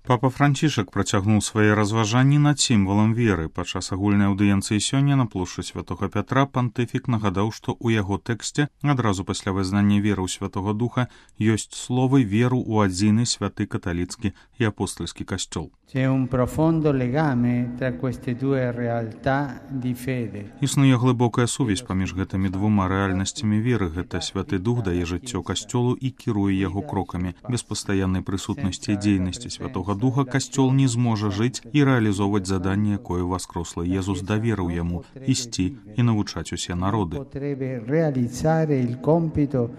Папа Францішак працягнуў свае разважанні над сімвалам веры. Падчас агульнай аўдыенцыі сёння на плошчы Святога Пятра пантыфік нагадаў, што ў яго тэксце адразу пасля вызнання веры ў Святога Духа ёсць словы веру ў адзіны святы каталіцкі і апостольскі касцёл. C'è un profondo legame tra queste due realtà di fede. Існуе глыбокая сувязь паміж гэтымі двума рэальнасцямі веры. Гэта Святы Дух дае жыццё касцёлу і кіруе яго крокамі. Без пастаяннай прысутнасці і дзейнасці Святога Духа касцёл не зможа жыць і рэалізоўваць заданне, якое воскрослы Езус даверыў яму ісці і навучаць усе народы. Potrebbe realizzare il compito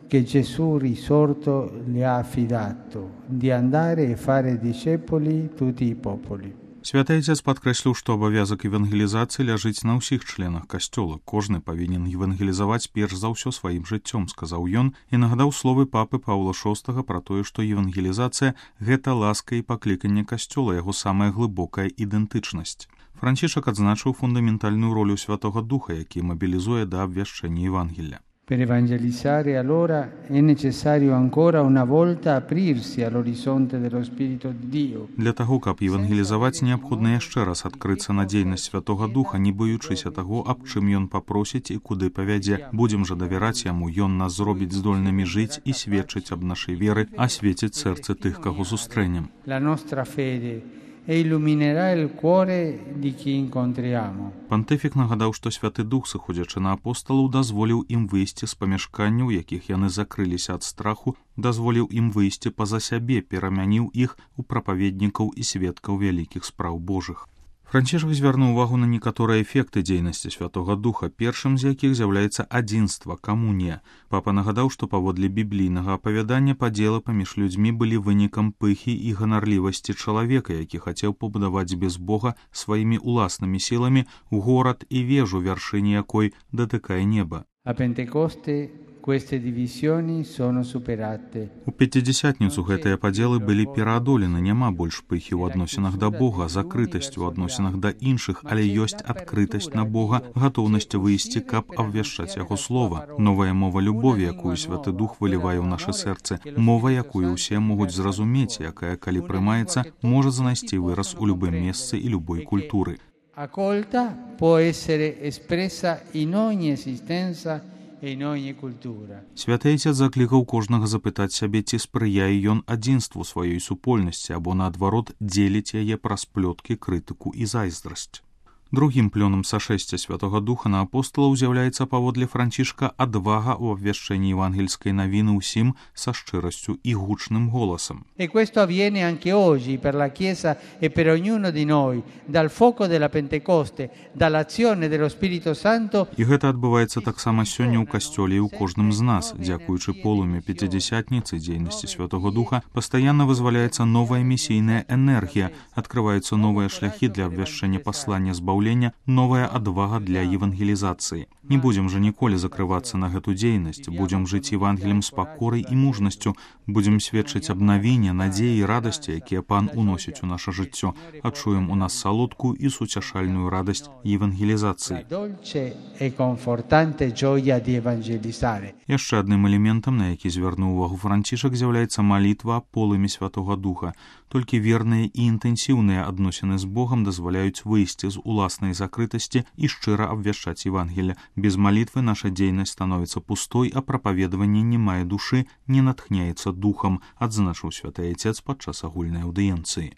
che Gesù risorto le ha affidato, di andare e fare discepoli tutti i popoli. Святы Отец падкрэсліў, што абавязак евангелізацыі ляжыць на ўсіх членах касцёла. Кожны павінен евангелізаваць перш за ўсё сваім жыццём, сказаў ён і нагадаў словы папы Паўла VI пра тое, што евангелізацыя – гэта ласка і пакліканне касцёла, яго самая глыбокая ідэнтычнасць. Францішак адзначыў фундаментальную ролю Святога Духа, які мабілізуе да абвяшчэння Евангелля. Per evangelizzare allora è necessario ancora una volta aprirsi all'orizzonte dello Spirito di Dio. Для таго, каб евангелізаваць, неабходна яшчэ раз адкрыцца на дзейнасць Святога Духа, не баючыся таго, аб чым ён папросіць і куды павядзе. Будзем жа давяраць яму, ён нас зробіць здольнымі жыць і сведчыць аб нашай веры, асвеціць сэрцы тых, каго сустрэнем. La nostra fede e illuminerà il cuore di chi incontriamo. Пантыфік нагадаў, што Святы Дух, сыходзячы на апосталаў, дазволіў ім выйсці з памяшканняў, якіх яны закрыліся ад страху, дазволіў ім выйсці па-за сябе, перамяніў іх у прапаведнікаў і сведкаў вялікіх спраў Божых. Францішак звярнуў увагу на некаторыя эфекты дзейнасці Святога Духа, першым з якіх з'яўляецца адзінства, камунія. Папа нагадаў, што паводле біблійнага апавядання падзелы паміж людзьмі былі вынікам пыхі і ганарлівасці чалавека, які хацеў пабудаваць без Бога сваімі ўласнымі сіламі горад і вежу, вяршыні якой датыкае неба. A Pentecoste queste divisioni sono superate. У Пяцідзясятніцу гэтыя падзелы былі пераадолены, няма больш пыхі ў адносінах да Бога, закрытасць у адносінах да іншых, але ёсць адкрытасць на Бога, гатоўнасць выйсці, каб абвяшчаць яго слова. Новая мова любові, якую Святы Дух вылівае ў нашы сэрцы, мова, якую ўсе могуць зразумець, якая, калі прымаецца, можа знайсці выраз у любым месцы і любой культуры. Accolta può essere espressa in ogni esistenza e in ogni cultura. Святы Отец заклікаў кожнага запытаць сябе, ці спрыяе ён адзінству сваёй супольнасці, або, наадварот, дзеліць яе праз плёткі, крытыку і зайздрасць. Другім плёнам сашэсця Святога Духа на апосталаў з'яўляецца паводле Францішка адвага ў абвяшчэнні евангельскай навіны ўсім са шчырасцю і гучным голасам. E questo avviene anche oggi per la Chiesa e per ognuno di noi, dal fuoco della Pentecoste, dall'azione dello Spirito Santo. І гэта адбываецца таксама сёння ў касцёле і ў кожным з нас. Дзякуючы полымя Пяцідзясятніцы дзейнасці Святога Духа пастаянна вызваляецца новая місійная энергія, адкрываюцца новыя шляхі для абвяшчэння паслання збаўлення, новая адвага для евангелізацыі. Не будзем жа ніколі закрывацца на гэту дзейнасць, будзем жыць евангелем з пакорай і мужнасцю, будзем сведчыць аб навіне, надзеі і радасці, якія Пан уносіць у наша жыццё, адчуем у нас салодкую і суцяшальную радасць евангелізацыі. Яшчэ адным элементам, на які звярнуў увагу Францішак, з'яўляецца малітва аб полымі Святога Духа. Толькі верныя і інтэнсіўныя адносіны з Богам дазваляюць выйсці з уласнай закрытасці і шчыра абвяшчаць Евангелля. Без малітвы наша дзейнасць становіцца пустой, а прапаведаванне не мае душы, не натхняецца духам, адзначыў Святы Отец падчас агульнай аўдыенцыі.